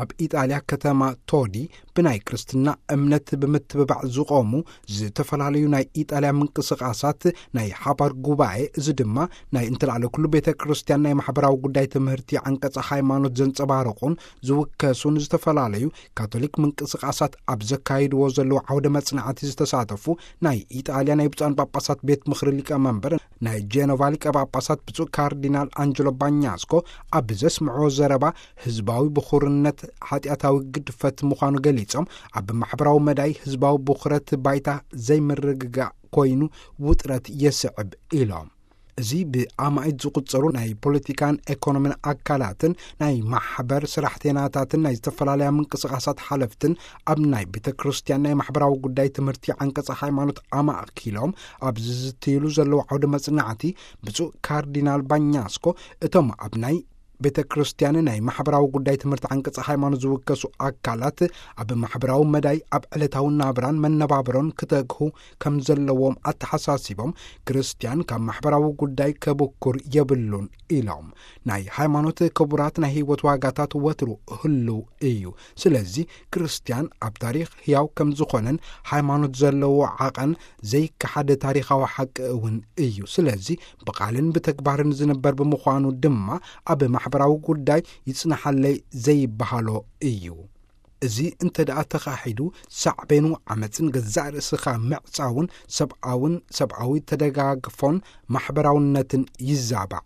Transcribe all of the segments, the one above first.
ኣብ ኢጣልያ ከተማ ቶዲ ብናይ ክርስትና እምነት ብምትብባዕ ዝቖሙ ዝተፈላለዩ ናይ ኢጣልያ ምንቅስቓሳት ናይ ሓባር ጉባኤ፣ እዚ ድማ ናይ እንተላዕለ ኩሉ ቤተ ክርስቲያን ናይ ማሕበራዊ ጉዳይ ትምህርቲ ዓንቀጸ ሃይማኖት ዘንጸባርቑን ዝውከሱን ዝተፈላለዩ ካቶሊክ ምንቅስቓሳት ኣብ ዘካይድዎ ዘለዉ ዓውደ መጽናዕቲ ዝተሳተፉ ናይ ኢጣልያ ናይ ብፁዓን ጳጳሳት ቤት ምኽሪ ሊቀ መንበር ናይ ጄኖቫ ሊቀ ጳጳሳት ብፁዕ ካርዲናል ኣንጀሎ ባኛስኮ ኣብ ዘስምዕዎ ዘረባ፣ ህዝባዊ ብኹርነት ሓጢኣታዊ ግድፈት ምዃኑ ገሊጾም፣ ኣብ ማሕበራዊ መዳይ ህዝባዊ ብኹረት ባይታ ዘይምርግጋእ ኮይኑ ውጥረት የስዕብ ኢሎም። እዚ ብኣማኢት ዝቑጸሩ ናይ ፖለቲካን ኤኮኖሚን ኣካላትን ናይ ማሕበር ሰራሕተናታትን ናይ ዝተፈላለያ ምንቅስቓሳት ሓለፍትን ኣብ ናይ ቤተ ክርስቲያን ናይ ማሕበራዊ ጉዳይ ትምህርቲ ዓንቀጸ ሃይማኖት ኣማእኪሎም ኣብ ዝዝትይሉ ዘለዉ ዓውደ መጽናዕቲ፣ ብፁዕ ካርዲናል ባኛስኮ እቶም ኣብ ናይ ቤተ ክርስቲያን ናይ ማሕበራዊ ጉዳይ ትምህርቲ ዓንቀጸ ሃይማኖት ዝውከሱ ኣካላት ኣብ ማሕበራዊ መዳይ ኣብ ዕለታዊ ናብራን መነባብሮን ክተግሁ ከም ዘለዎም ኣተሓሳሲቦም፣ ክርስቲያን ካብ ማሕበራዊ ጉዳይ ከብኩር የብሉን ኢሎም። ናይ ሃይማኖት ክቡራት ናይ ህይወት ዋጋታት ወትሩ ህልው እዩ። ስለዚ ክርስቲያን ኣብ ታሪኽ ህያው ከም ዝኾነን ሃይማኖት ዘለዎ ዓቐን ዘይከሓደ ታሪኻዊ ሓቂ እውን እዩ። ስለዚ ብቓልን ብተግባርን ዝንበር ብምዃኑ ድማ ኣብ ማሕበራዊ ጉዳይ ይጽናሓለይ ዘይበሃሎ እዩ። እዚ እንተ ደኣ ተኻሒዱ፣ ሳዕቤኑ ዓመጽን ገዛእ ርእስኻ ምዕጻውን ሰብኣውን ሰብኣዊ ተደጋግፎን ማሕበራውነትን ይዛባዕ።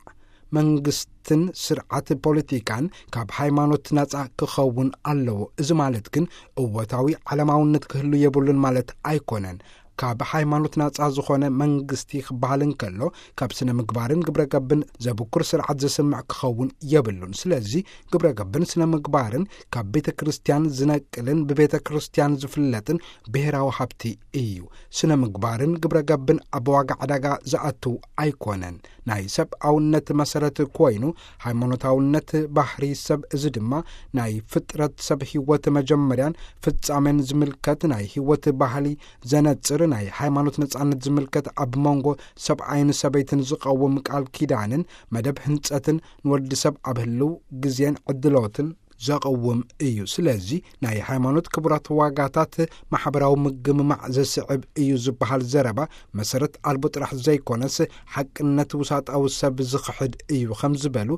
መንግስትን ስርዓት ፖለቲካን ካብ ሃይማኖት ናጻ ክኸውን ኣለዎ። እዚ ማለት ግን እወታዊ ዓለማውነት ክህሉ የብሉን ማለት ኣይኮነን። ካብ ሃይማኖት ናጻ ዝኾነ መንግስቲ ክበሃል እንከሎ፣ ካብ ስነ ምግባርን ግብረ ገብን ዘብኩር ስርዓት ዘስምዕ ክኸውን የብሉን። ስለዚ ግብረ ገብን ስነ ምግባርን ካብ ቤተ ክርስቲያን ዝነቅልን ብቤተ ክርስቲያን ዝፍለጥን ብሔራዊ ሃብቲ እዩ። ስነ ምግባርን ግብረ ገብን ኣብ ዋጋ ዕዳጋ ዝኣቱ ኣይኮነን። ናይ ሰብኣውነት መሰረት ኮይኑ፣ ሃይማኖታውነት ባህሪ ሰብ፣ እዚ ድማ ናይ ፍጥረት ሰብ ህይወት መጀመርያን ፍጻሜን ዝምልከት ናይ ህይወት ባህሊ ዘነጽር፣ ናይ ሃይማኖት ነጻነት ዝምልከት፣ ኣብ መንጎ ሰብኣይን ሰበይትን ዝቐውም ቃል ኪዳንን መደብ ህንጸትን ንወዲ ሰብ ኣብ ህልው ግዜን ዕድሎትን ዘቐውም እዩ። ስለዚ ናይ ሃይማኖት ክቡራት ዋጋታት ማሕበራዊ ምግምማዕ ዘስዕብ እዩ ዝበሃል ዘረባ መሰረት ኣልቦ ጥራሕ ዘይኮነስ፣ ሓቅነት ውሳጣዊ ሰብ ዝኽሕድ እዩ ከም ዝበሉ፣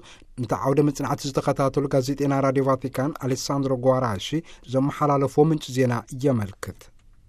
ነቲ ዓውደ መጽናዕቲ ዝተኸታተሉ ጋዜጠና ራድዮ ቫቲካን ኣሌሳንድሮ ጓራሺ ዘመሓላለፍዎ ምንጪ ዜና የመልክት።